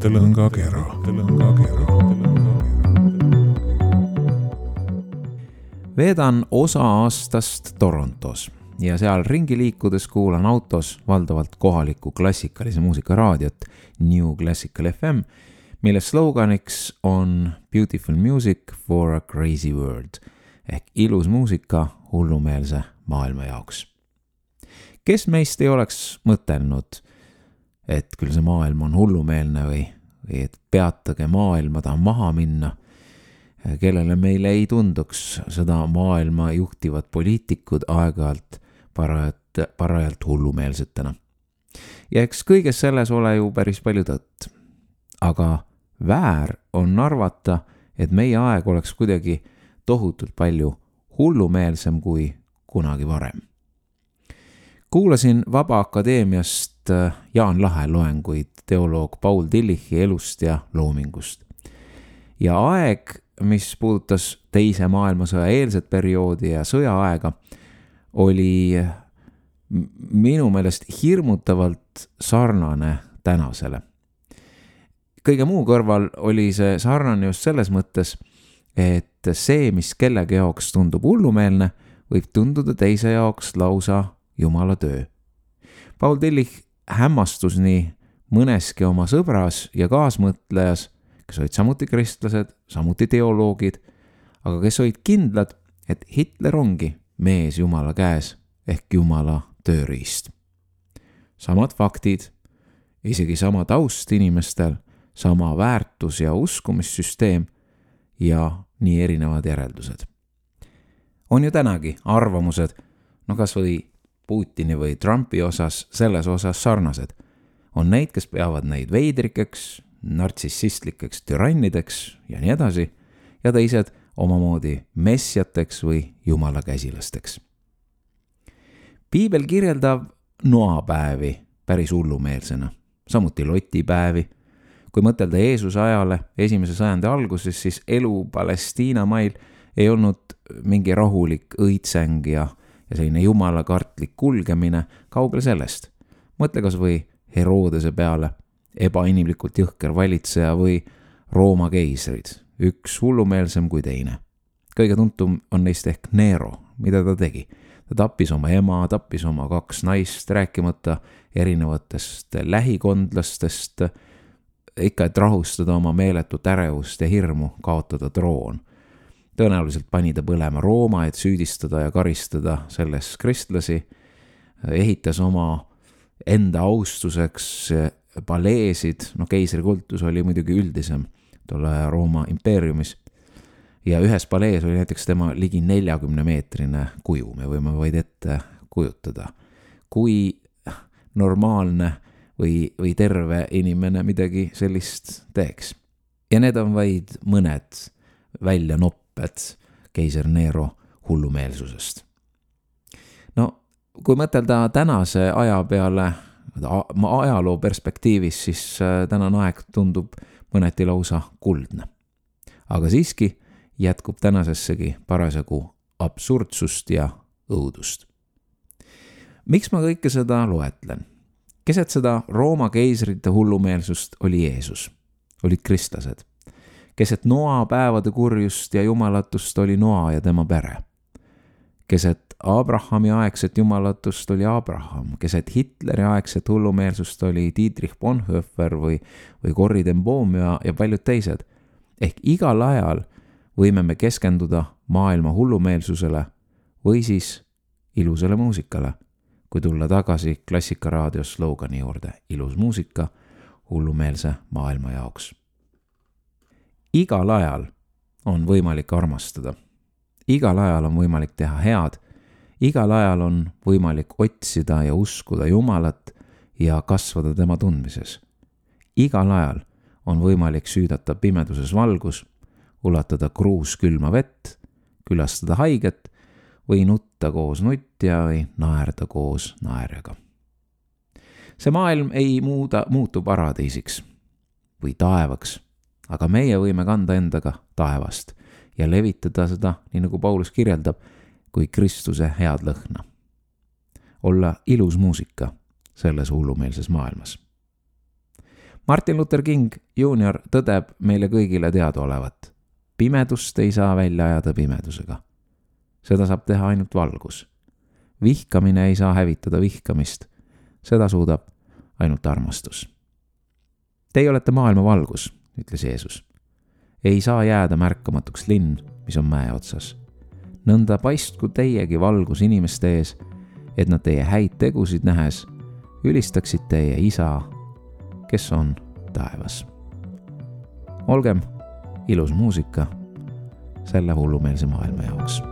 mõttelõngakera. Veedan osa aastast Torontos ja seal ringi liikudes kuulan autos valdavalt kohalikku klassikalise muusika raadiot New Classical FM, mille sloganiks on Beautiful Music for a Crazy World ehk ilus muusika hullumeelse maailma jaoks. Kes meist ei oleks mõtelnud, et küll see maailm on hullumeelne või et peatage maailma, ta maha minna, kellele meile ei tunduks seda maailma juhtivad poliitikud aeg-ajalt parajalt hullumeelsetena. Ja eks kõiges selles ole ju päris palju tõtt. Aga väär on arvata, et meie aeg oleks kuidagi tohutult palju hullumeelsem kui kunagi varem. Kuulasin Vaba Akadeemiast Jaan Lahe loenguid teoloog Paul Tillichi elust ja loomingust. Ja aeg, mis puudutas teise maailmasõja eelset perioodi ja sõjaaega, oli minu meelest hirmutavalt sarnane tänasele. Kõige muu kõrval oli see sarnane just selles mõttes, et see, mis kellegi jaoks tundub hullumeelne, võib tunduda teise jaoks lausa Jumala töö. Paul Tillich hämmastus nii mõneski oma sõbras ja kaasmõtlejas, kes olid samuti kristlased, samuti teoloogid, aga kes olid kindlad, et Hitler ongi mees Jumala käes ehk Jumala tööriist. Samad faktid, isegi sama taust inimestel, sama väärtus- ja uskumissüsteem ja nii erinevad järeldused. On ju tänagi arvamused, kas või Putini või Trumpi osas, selles osas sarnased. On neid, kes peavad neid veidrikeks, nartsissistlikeks türannideks ja nii edasi, ja teised omamoodi messiateks või jumala käsilasteks. Piibel kirjeldab noapäevi päris hullumeelsena, samuti lotipäevi. Kui mõtelda Jeesuse ajale 1. sajandi alguses, siis elu Palestiina mail ei olnud mingi rahulik õitseng ja selline jumala kartlik kulgemine, kaugel sellest. Mõtle kas või Herodese peale, ebainimlikult jõhker valitseja või Rooma keisrid, üks hullumeelsem kui teine. Kõige tuntum on neist ehk Nero, mida ta tegi. Ta tappis oma ema, tappis oma 2 naist, rääkimata erinevatest lähikondlastest, ikka et rahustada oma meeletut ärevust ja hirmu kaotada troon. Tõenäoliselt pani ta põlema Rooma, et süüdistada ja karistada selles kristlasi, ehitas oma enda austuseks paleesid, keisrikultus oli muidugi üldisem tolle Rooma impeeriumis, ja ühes palees oli näiteks tema ligi 40-meetrine kuju, me võime vaid ette kujutada, kui normaalne või terve inimene midagi sellist teeks. Ja need on vaid mõned välja nopped keiser Nero hullumeelsusest. Kui mõtelda tänase aja peale, ajaloo perspektiivis, siis tänane aeg tundub mõneti lausa kuldne. Aga siiski jätkub tänasessegi parasjagu absurdsust ja õudust. Miks ma kõike seda loetlen? Keset seda Rooma keisrite hullumeelsust oli Jeesus, olid kristlased. Keset Noa päevade kurjust ja jumalatust oli Noa ja tema pere. Keset Abrahami aegset jumalatust oli Abraham. Keset Hitleri aegset hullumeelsust oli Dietrich Bonhoeffer või Corrie ten Boom ja paljud teised. Ehk igal ajal võime me keskenduda maailma hullumeelsusele või siis ilusale muusikale, kui tulla tagasi Klassikaraadio slogani juurde: ilus muusika hullumeelse maailma jaoks. Igal ajal on võimalik armastada. Igal ajal on võimalik teha head. Igal ajal on võimalik otsida ja uskuda Jumalat ja kasvada tema tundmises. Igal ajal on võimalik süüdata pimeduses valgus, ulatada kruus külma vett, külastada haiget või nutta koos nutja või naerda koos naerjaga. See maailm ei muutu paradiisiks või taevaks, aga meie võime kanda endaga taevast ja levitada seda, nii nagu Paulus kirjeldab, kui Kristuse head lõhna. Olla ilus muusika selles hullumeelses maailmas. Martin Luther King Jr. tõdeb meile kõigile teadaolevat. Pimedust ei saa välja ajada pimedusega. Seda saab teha ainult valgus. Vihkamine ei saa hävitada vihkamist. Seda suudab ainult armastus. Teie olete maailma valgus, ütles Jeesus. Ei saa jääda märkamatuks linn, mis on mäe otsas. Nõnda paistku teiegi valgus inimeste ees, et nad teie häid tegusid nähes ülistaksid teie isa, kes on taevas. Olgem ilus muusika selle hullumeelse maailma jaoks.